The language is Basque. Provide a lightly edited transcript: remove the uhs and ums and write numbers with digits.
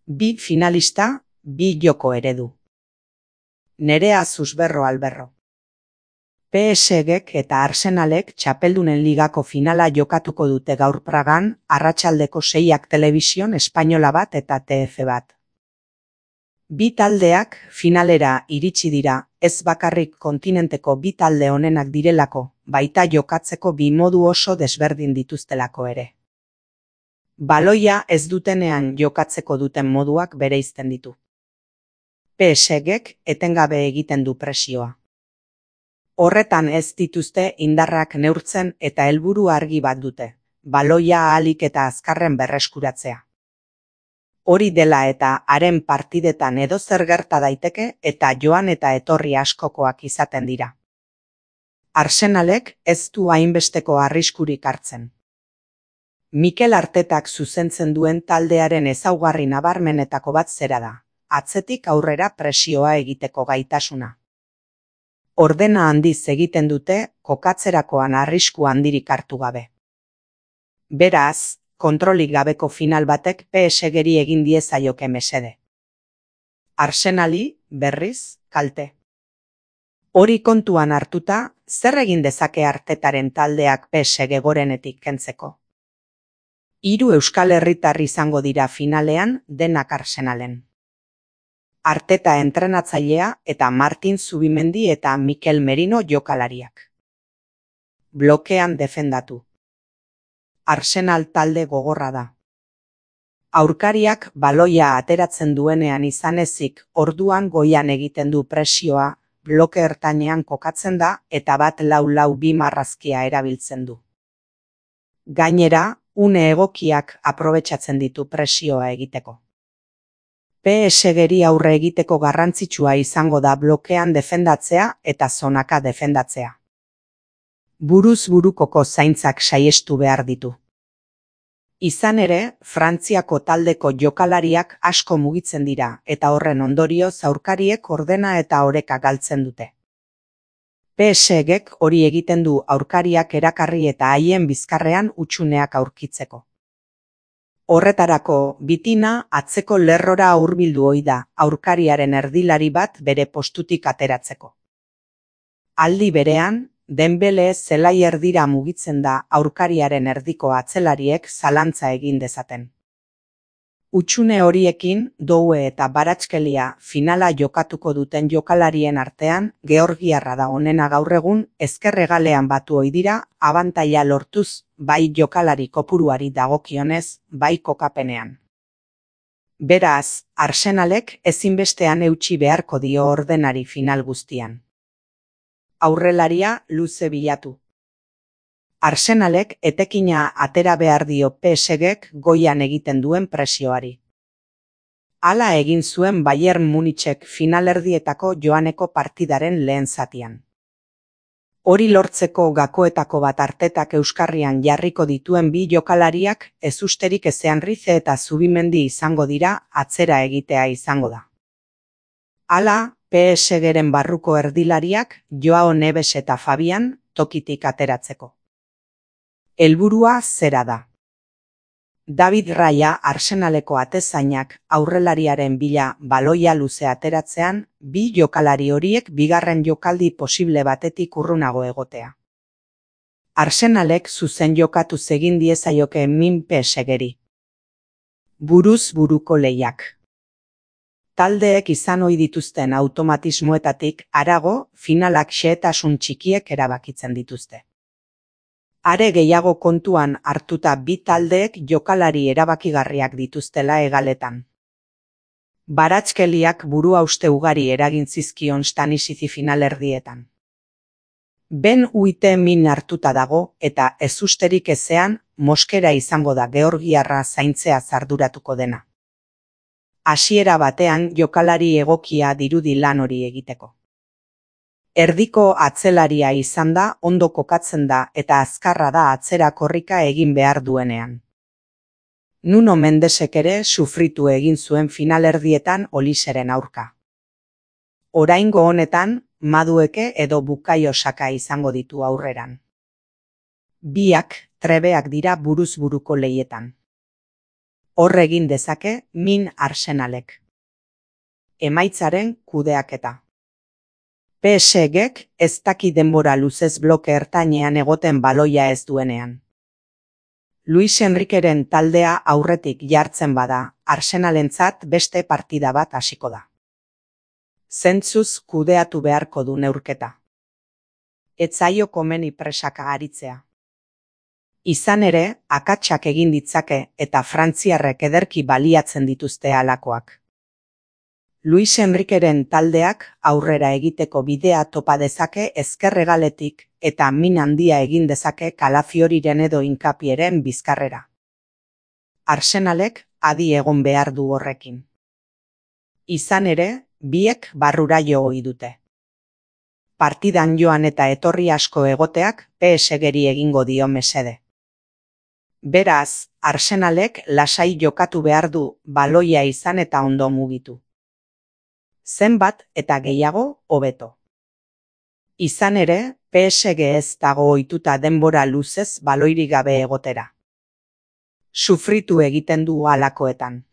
Bi finalista, bi joko eredu. Nerea Susberro Alberro. PSG-ek eta Arsenalek Txapeldunen Ligako finala jokatuko dute gaur Pragan, arratsaldeko 6ak telebision espainola bat eta TF bat. Bi taldeak finalera iritsi dira, ez bakarrik kontinenteko bi talde onenak direlako, baita jokatzeko bi modu oso desberdin dituztelako ere. Baloia ez dutenean jokatzeko duten moduak bereizten ditu. PSG-ek etengabe egiten du presioa. Horretan ez dituzte indarrak neurtzen eta helburu argi bat dute, baloia ahalik eta azkarren berreskuratzea. Hori dela eta haren partidetan edozer gerta daiteke eta joan eta etorri askokoak izaten dira. Arsenalek ez du hainbesteko arriskurik hartzen. Mikel Artetak zuzentzen duen taldearen ezaugarri nabarmenetako bat zera da, atzetik aurrera presioa egiteko gaitasuna. Ordena handiz egiten dute, kokatzerakoan arrisku handirik hartu gabe. Beraz, kontrolik gabeko final batek PSG-ri egin diezaioke mesede. Arsenali, berriz, kalte. Hori kontuan hartuta, zer egin dezake Artetaren taldeak PSG gorenetik kentzeko? 3 euskal herritar izango dira finalean, denak Arsenalen. Arteta entrenatzailea eta Martin Zubimendi eta Mikel Merino jokalariak. Blokean defendatu. Arsenal talde gogorra da. Aurkariak baloia ateratzen duenean izan ezik, orduan goian egiten du presioa, bloke ertainean kokatzen da eta bat 4-4-2 marrazkia erabiltzen du. Gainera, une egokiak aprobetxatzen ditu presioa egiteko. PSG-ri aurre egiteko garrantzitsua izango da blokean defendatzea eta zonaka defendatzea. Buruz burukoko zaintzak saihestu behar ditu. Izan ere, Frantziako taldeko jokalariak asko mugitzen dira eta horren ondorioz aurkariek ordena eta oreka galtzen dute. PSG-ek hori egiten du aurkariak erakarri eta haien bizkarrean hutsuneak aurkitzeko. Horretarako, bitina atzeko lerrora hurbildu ohi da, aurkariaren erdilari bat bere postutik ateratzeko. Aldi berean, Dembele zelai erdira mugitzen da aurkariaren erdiko atzelariek zalantza egin dezaten. Hutsune horiekin, Doue eta Baratxkelia finala jokatuko duten jokalarien artean, georgiarra da onena gaur egun, ezker hegalean batu ohi dira, abantaila lortuz, bai jokalari kopuruari dagokionez, bai kokapenean. Beraz, Arsenalek ezinbestean eutsi beharko dio ordenari final guztian. Aurrelaria luze bilatu. Arsenalek etekina atera behar dio PSG-ek goian egiten duen presioari. Hala egin zuen Bayern Munichek finalerdietako joaneko partidaren lehen zatian. Hori lortzeko gakoetako bat Artetak euskarrian jarriko dituen bi jokalariak ezusterik ezean Rize eta Zubimendi izango dira, atzera egitea izango da. Hala, PSG-ren barruko erdilariak Joao Neves eta Fabian tokitik ateratzeko. Helburua zera da. David Raya Arsenaleko atezainak aurrelariaren bila baloia luze ateratzean, bi jokalari horiek bigarren jokaldi posible batetik urrunago egotea. Arsenalek zuzen jokatu egin diezaioke min PSG-ri. Buruz buruko lehiak. Taldeek izan ohi dituzten automatismoetatik harago, finalak xehetasun txikiek erabakitzen dituzte. Are gehiago kontuan hartuta bi taldeek jokalari erabakigarriak dituztela hegaletan. Baratxkeliak buruhauste ugari eragin zizkion Stanisizi finalerdietan. Ben Uite min hartuta dago eta ezusterik ezean Moskera izango da georgiarra zaintzea arduratuko dena. Hasiera batean jokalari egokia dirudi lan hori egiteko. Erdiko atzelaria izan da, ondo kokatzen da eta azkarra da atzera korrika egin behar duenean. Nuno Mendesek ere sufritu egin zuen finalerdietan Oliseren aurka. Oraingo honetan, Madueke edo Bukayo Saka izango ditu aurreran. Biak trebeak dira buruz buruko lehietan. Hor egin dezake min Arsenalek. Emaitzaren kudeaketa. PSG-ek ez daki denbora luzez bloke ertainean egoten baloia ez duenean. Luis Enriqueren taldea aurretik jartzen bada, Arsenalentzat beste partida bat hasiko da. Zentzuz kudeatu beharko du neurketa. Ez zaio komeni presaka aritzea. Izan ere, akatsak egin ditzake eta frantziarrek ederki baliatzen dituzte halakoak. Luis Enriqueren taldeak aurrera egiteko bidea topa dezake ezker hegaletik eta min handia egin dezake Calafioriren edo Hincapieren bizkarrera. Arsenalek adi egon behar du horrekin. Izan ere, biek barrura jo ohi dute. Partidan joan eta etorri asko egoteak PSG-ri egingo dio mesede. Beraz, Arsenalek lasai jokatu behar du baloia izan eta ondo mugitu. Zenbat eta gehiago hobeto. Izan ere, PSG ez dago ohituta denbora luzez baloirik gabe egotera. Sufritu egiten du halakoetan.